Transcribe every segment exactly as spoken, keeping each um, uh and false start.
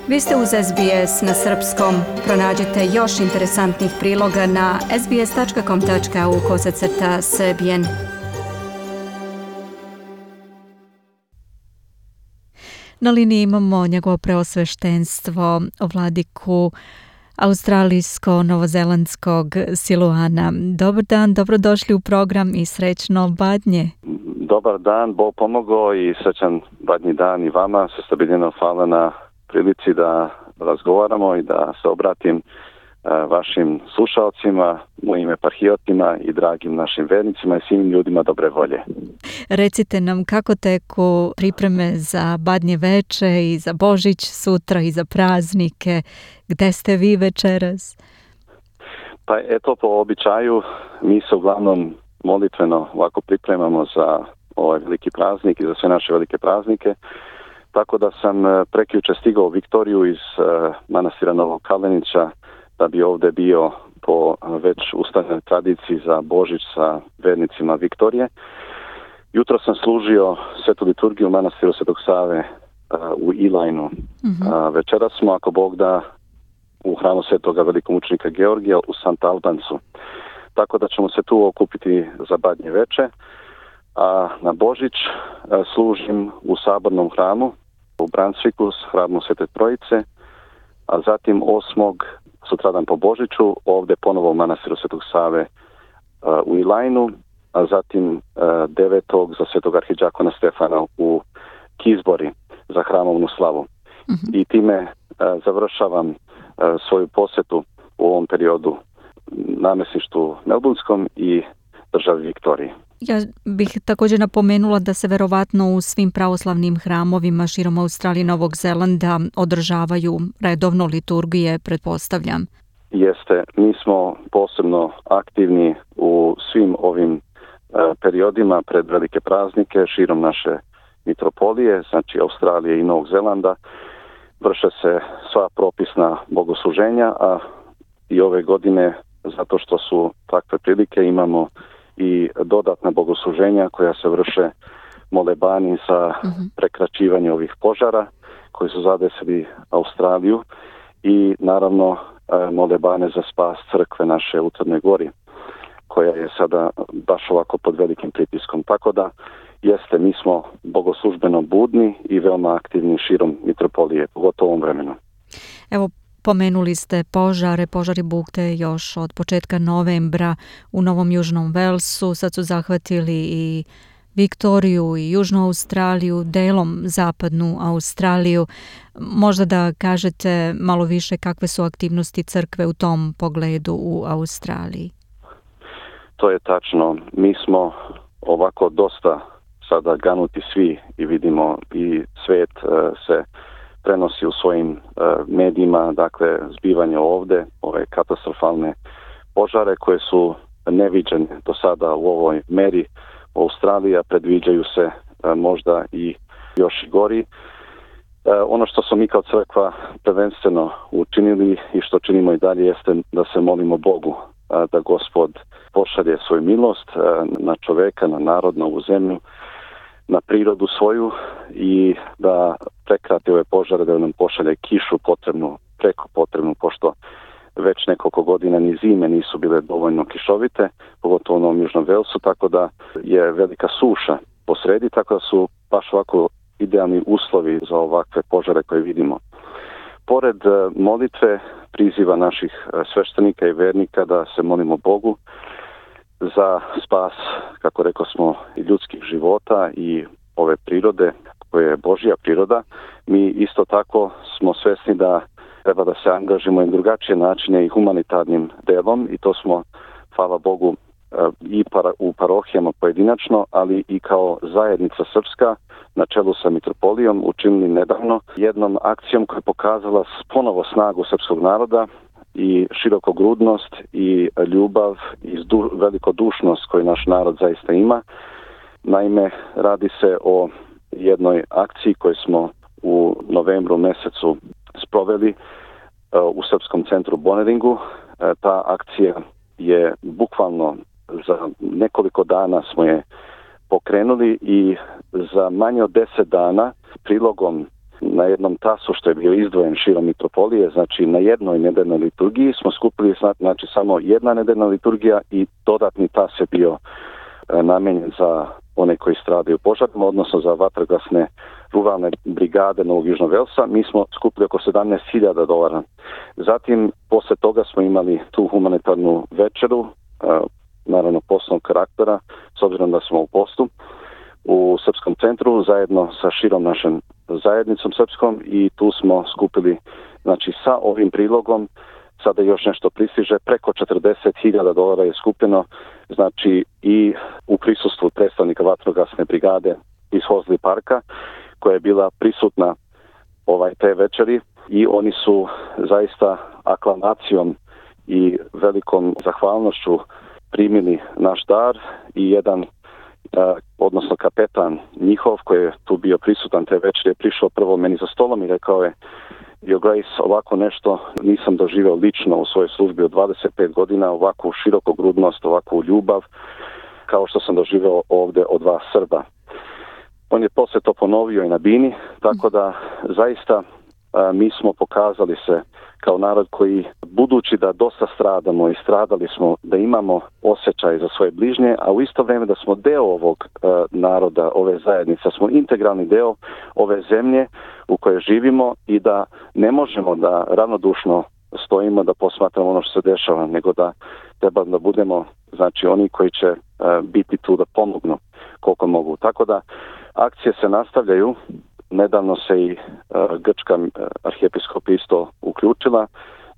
Vi ste uz S B S na srpskom. Pronađite još interesantnih priloga na sbs.com tačka au kosacrta srbijen. Na liniji imamo njegovo preosveštenstvo, vladiku australijsko-novozelandskog Siluana. Dobar dan, dobrodošli u program i srećno Badnje. Dobar dan, Bog pomogao i srećan Badnji dan i vama. Sestabiljeno hvala na prilici da razgovaramo i da se obratim vašim slušalcima, mojim eparhijotima i dragim našim vernicima i svim ljudima dobre volje. Recite nam kako teku pripreme za Badnje veče i za Božić sutra i za praznike. Gde ste vi večeras? Pa eto, po običaju mi se uglavnom molitveno ovako pripremamo za ovaj veliki praznik i za sve naše velike praznike. Tako da sam prekjuče stigao u Viktoriju iz uh, manastira Novog Kalenića da bi ovdje bio po već ustaljenoj tradiciji za Božić sa vernicima Viktorije. Jutro sam služio svetu liturgiju u manastiru Svetog Save uh, u Elajnu. Mm-hmm. Uh, večeras smo, ako Bog da, u hramu svetoga velikomučenika Georgija u Sant Albancu. Tako da ćemo se tu okupiti za Badnje veče. A na Božić uh, služim u sabornom hramu u Brunswicku, hramu Svete Trojice, a zatim osmog sutradan po Božiću ovdje ponovo u manastiru Svetog Save uh, u Elajnu, a zatim uh, devetog za Svetog arhidžakona Stefana u Kizbori za hramovnu slavu. Mm-hmm. I time uh, završavam uh, svoju posjetu u ovom periodu namjesništvu Melbourneskom i državi Viktoriji. Ja bih također napomenula da se verovatno u svim pravoslavnim hramovima širom Australije i Novog Zelanda održavaju redovno liturgije, pretpostavljam. Jeste, mi smo posebno aktivni u svim ovim uh, periodima pred velike praznike širom naše mitropolije, znači Australije i Novog Zelanda. Vrše se sva propisna bogosluženja, a i ove godine, zato što su takve prilike, imamo i dodatna bogosluženja koja se vrše molebani za uh-huh. prekračivanje ovih požara koji su zadesili Australiju i naravno molebane za spas crkve naše u Crnoj Gori koja je sada baš ovako pod velikim pritiskom. Tako da jeste, mi smo bogoslužbeno budni i veoma aktivni širom mitropolije, pogotovo u ovom vremenu. Evo, pomenuli ste požare, požari bukte još od početka novembra u Novom Južnom Velsu, sad su zahvatili i Viktoriju i Južnu Australiju, delom zapadnu Australiju. Možda da kažete malo više kakve su aktivnosti crkve u tom pogledu u Australiji? To je tačno. Mi smo ovako dosta sada ganuti svi i vidimo i svet uh, se prenosi u svojim uh, medijima, dakle, zbivanje ovdje, ove katastrofalne požare koje su neviđene do sada u ovoj meri u Australiji, a predviđaju se uh, možda i još i gori. Uh, ono što smo mi kao crkva prvenstveno učinili i što činimo i dalje jeste da se molimo Bogu, uh, da Gospod pošalje svoju milost uh, na čoveka, na narod, na ovu zemlju, na prirodu svoju i da prekrati ove požare, da nam pošalje kišu potrebnu, preko potrebnu, pošto već nekoliko godina ni zime nisu bile dovoljno kišovite, pogotovo u Novom Južnom Velsu, tako da je velika suša posredi, tako da su baš ovako idealni uslovi za ovakve požare koje vidimo. Pored molitve, priziva naših sveštenika i vernika da se molimo Bogu za spas, kako rekao smo, i ljudskih života i ove prirode, koja je Božja priroda, mi isto tako smo svesni da treba da se angažimo i drugačije načine i humanitarnim delom i to smo, hvala Bogu, i para, u parohijama pojedinačno, ali i kao zajednica srpska na čelu sa mitropolijom učinili nedavno jednom akcijom koja je pokazala ponovo snagu srpskog naroda i širokogrudnost i ljubav i zdu, velikodušnost koju naš narod zaista ima. Naime, radi se o jednoj akciji koju smo u novembru mjesecu sproveli uh, u Srpskom centru Boneringu. Uh, ta akcija je bukvalno za nekoliko dana smo je pokrenuli i za manje od deset dana prilogom na jednom tasu što je bio izdvojen širom mitropolije, znači na jednoj nedeljnoj liturgiji smo skupili znači samo jedna nedeljna liturgija i dodatni tas je bio e, namijenjen za one koji stradaju požarima, odnosno za vatrogasne ruralne brigade Novog Južnog Velsa. Mi smo skupili oko sedamnaest hiljada dolara. Zatim, posle toga smo imali tu humanitarnu večeru, e, naravno poslovnog karaktera, s obzirom da smo u postu, u Srpskom centru zajedno sa širom našom zajednicom srpskom i tu smo skupili, znači sa ovim prilogom, sada još nešto pristiže, preko četrdeset hiljada dolara je skupljeno, znači i u prisustvu predstavnika vatrogasne brigade iz Hozli parka, koja je bila prisutna ovaj te večeri i oni su zaista aklamacijom i velikom zahvalnošću primili naš dar i jedan Uh, odnosno kapetan njihov koji je tu bio prisutan te večeri je prišao prvo meni za stolom i rekao je: Your Grace, ovako nešto nisam doživio lično u svojoj službi od dvadeset pet godina, ovakvu širokogrudnost, ovakvu ljubav kao što sam doživio ovdje od vas Srba. On je posle to ponovio i na bini, tako da zaista uh, mi smo pokazali se kao narod koji, budući da dosta stradamo i stradali smo, da imamo osjećaj za svoje bližnje, a u isto vrijeme da smo deo ovog e, naroda, ove zajednice, smo integralni deo ove zemlje u kojoj živimo i da ne možemo da ravnodušno stojimo da posmatramo ono što se dešava, nego da treba da budemo, znači, oni koji će e, biti tu da pomognu koliko mogu. Tako da akcije se nastavljaju. Nedavno se i uh, grčka uh, arhijepiskop isto uključila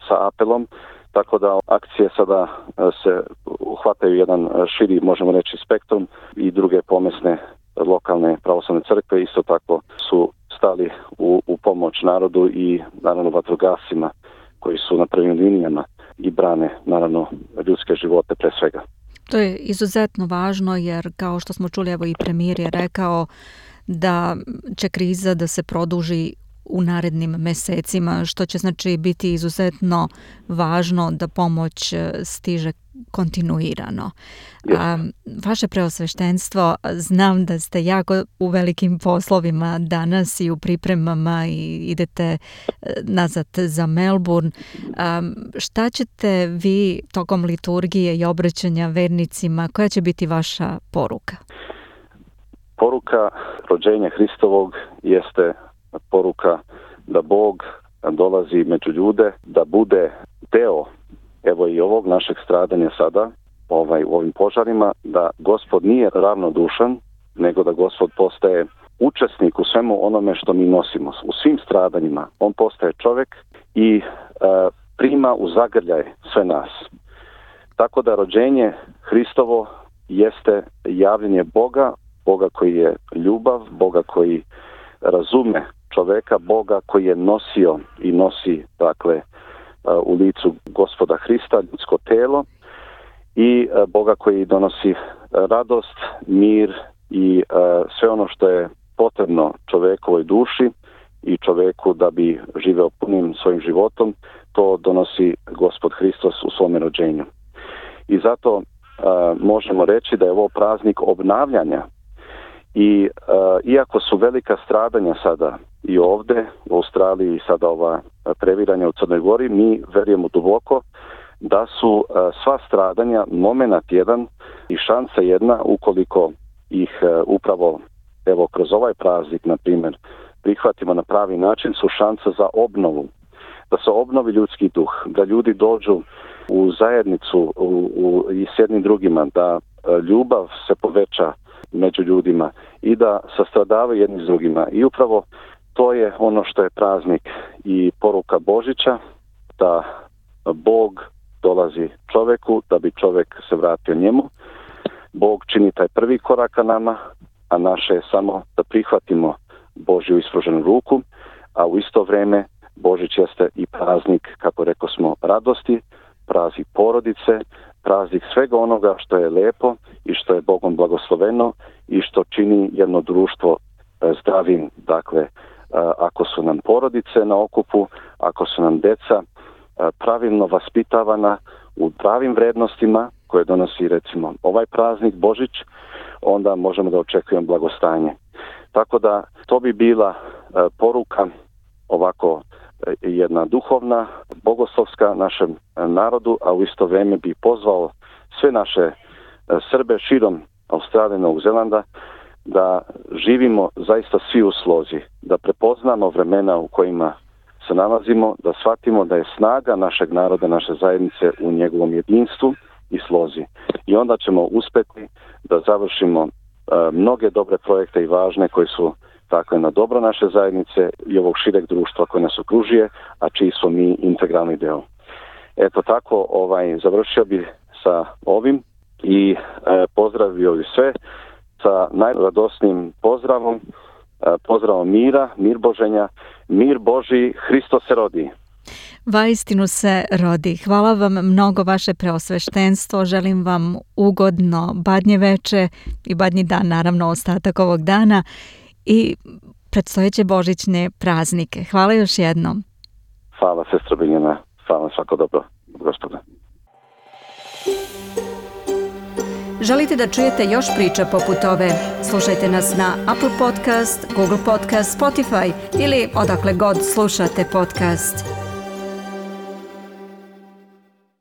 sa apelom, tako da akcije sada uh, se uhvataju jedan uh, širi, možemo reći, spektrum i druge pomesne lokalne pravoslavne crkve isto tako su stali u, u pomoć narodu i naravno vatrogascima koji su na prvim linijama i brane naravno ljudske živote pre svega. To je izuzetno važno jer kao što smo čuli, evo i premijer je rekao da će kriza da se produži u narednim mesecima, što će znači biti izuzetno važno da pomoć stiže kontinuirano. Yes. A, vaše preosveštenstvo, znam da ste jako u velikim poslovima danas i u pripremama i idete nazad za Melbourne. A, šta ćete vi tokom liturgije i obraćanja vernicima, koja će biti vaša poruka? Poruka rođenja Hristovog jeste poruka da Bog dolazi među ljude, da bude deo evo i ovog našeg stradanja sada, ovaj, u ovim požarima, da Gospod nije ravnodušan, nego da Gospod postaje učesnik u svemu onome što mi nosimo, u svim stradanjima. On postaje čovjek i e, prima u zagrljaj sve nas. Tako da rođenje Hristovo jeste javljenje Boga, Boga koji je ljubav, Boga koji razume čoveka, Boga koji je nosio i nosi, dakle, u licu Gospoda Hrista, ljudsko telo i Boga koji donosi radost, mir i sve ono što je potrebno čovekovoj duši i čoveku da bi živeo punim svojim životom, to donosi Gospod Hristos u svome rođenju. I zato možemo reći da je ovo praznik obnavljanja. I uh, iako su velika stradanja sada i ovdje u Australiji i sada ova previranja u Crnoj Gori, mi verujemo duboko da su uh, sva stradanja momenat jedan i šansa jedna ukoliko ih uh, upravo evo kroz ovaj praznik, na primjer, prihvatimo na pravi način, su šansa za obnovu, da se obnovi ljudski duh, da ljudi dođu u zajednicu u, u, i s jednim drugima, da uh, ljubav se poveća među ljudima i da sastradavaju jedni s drugima. I upravo to je ono što je praznik i poruka Božića, da Bog dolazi čoveku, da bi čovek se vratio njemu. Bog čini taj prvi korak ka nama, a naše je samo da prihvatimo Božju ispruženu ruku, a u isto vrijeme Božić jeste i praznik, kako rekao smo, radosti, praznik porodice, praznik svega onoga što je lepo i što je Bogom blagosloveno i što čini jedno društvo zdravim. Dakle, ako su nam porodice na okupu, ako su nam deca pravilno vaspitavana u pravim vrednostima koje donosi recimo ovaj praznik Božić, onda možemo da očekujemo blagostanje. Tako da to bi bila poruka ovako jedna duhovna, bogoslovska našem narodu, a u isto vrijeme bi pozvao sve naše Srbe širom Australije, Novog Zelanda da živimo zaista svi u slozi, da prepoznamo vremena u kojima se nalazimo, da shvatimo da je snaga našeg naroda, naše zajednice u njegovom jedinstvu i slozi. I onda ćemo uspjeti da završimo uh, mnoge dobre projekte i važne koji su takve na dobro naše zajednice i ovog šireg društva koje nas okružuje, a čiji smo mi integralni deo. Eto tako, ovaj, završio bih sa ovim i e, pozdravio bih sve sa najradosnijim pozdravom, e, pozdravom mira, mir Boženja, mir Božji, Hristos se rodi. Vaistinu se rodi. Hvala vam mnogo vaše preosveštenstvo. Želim vam ugodno badnje veče i badnji dan, naravno ostatak ovog dana i predstojeće božićne praznike. Hvala još jednom. Hvala, sestra Biljana. Hvala, svako dobro, gospode. Želite da čujete još priča poput ove? Slušajte nas na Apple Podcast, Google Podcast, Spotify ili odakle god slušate podcast.